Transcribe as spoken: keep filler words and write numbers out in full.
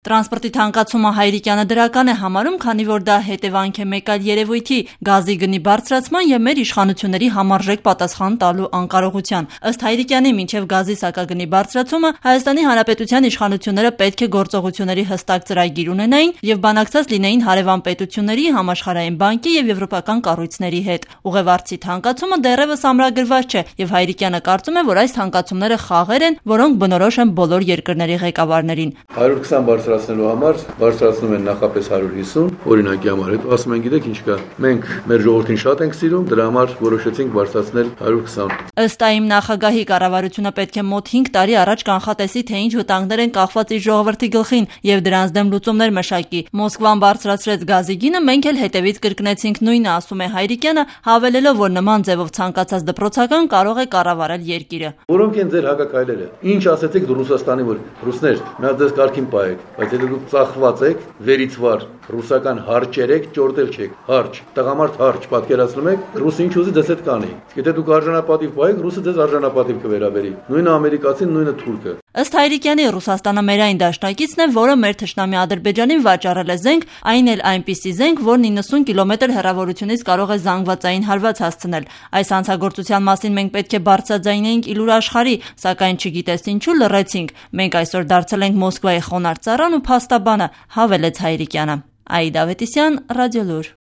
Տրանսպորտի թանկացումը Հայրիկյանը դրական է համարում, քանի որ դա հետևանք է մեկ այլ երևույթի՝ գազի գնի բարձրացման և մեր իշխանությունների համարժեք պատասխան տալու անկարողության։ Ըստ Հայրիկյանի, մինչև գազի սակագնի բարձրացումը Հայաստանի Հանրապետության իշխանությունները պետք է գործողությունների հստակ ծրագիր ունենային և բանակցած լինեին հարևան պետությունների, Համաշխարհային բանկի և եվրոպական կառույցների հետ։ Ուղևորցի թանկացումը դեռևս ամրագրված չէ, և Հայրիկյանը կարծում է, որ այս թանկացումները խաղեր են, որոնք բնորոշ են բոլոր երկրների ղեկավարներին։ Բարձրացնելու համար բարձրացնում են նախապես հարյուր հիսուն, օրինակի համար, հետո ասում են գիտեք ինչ կա, մենք մեր ժողովրդին շատ ենք սիրում, դրա համար որոշեցինք բարձրացնել հարյուր քսան։ Ըստ ԱԻՄ նախագահի, կառավարությունը պետք է մոտ հինգ տարի առաջ կանխատեսի, թե ինչ վտանգներ են կախված իր ժողովրդի գլխին և դրանց դեմ լուծումներ մշակի։ Մոսկվան բարձրացրեց գազի գինը, մենք էլ հետևից կրկնեցինք նույնը, ասում է Հայրիկյանը, հավելելով, որ նման ձևով ցանկացած դպրոցական կարող է կառավարել երկիրը։ Որոնք են ձեր հակաքայլերը։ Ինչ ասեցիք դու Ռուսաստանի, որ ռուսներ, նա ձեզ կարգին պահեք, բայց եթե դուք ծախված եք, վերից վար ռուսական հարճեր եք, ճորտել չեք, հարճ, տղամարդ հարճ պատկերացնում եք, ռուսը ինչ ուզի ձեզ հետ կանի։ Եթե դուք արժանապատիվ պահեք, ռուսը ձեզ արժանապատիվ կվերաբերի։ Նույնը ամերիկացին, նույնը թուրքը։ Ըստ Հայրիկյանի, Ռուսաստանը մեր այն դաշնակիցն է, որը մեր թշնամի Ադրբեջանին վաճառել է զենք, այն էլ այնպիսի զենք, որն իննսուն կիլոմետր հեռավորությունից կարող է զանգվածային հարված հասցնել։ Այս հանցագործության մասին մենք պետք է բարձրաձայնեինք ήλուր աշխարհի, սակայն չգիտես ինչու լռեցինք։ Մենք այսօր դարձել ենք Մոսկվայի խոնարհ ծառան ու փաստաբանը, հավելեց Հայրիկյանը։ Աիդա Ավետիսյան, Ռադիոլուր։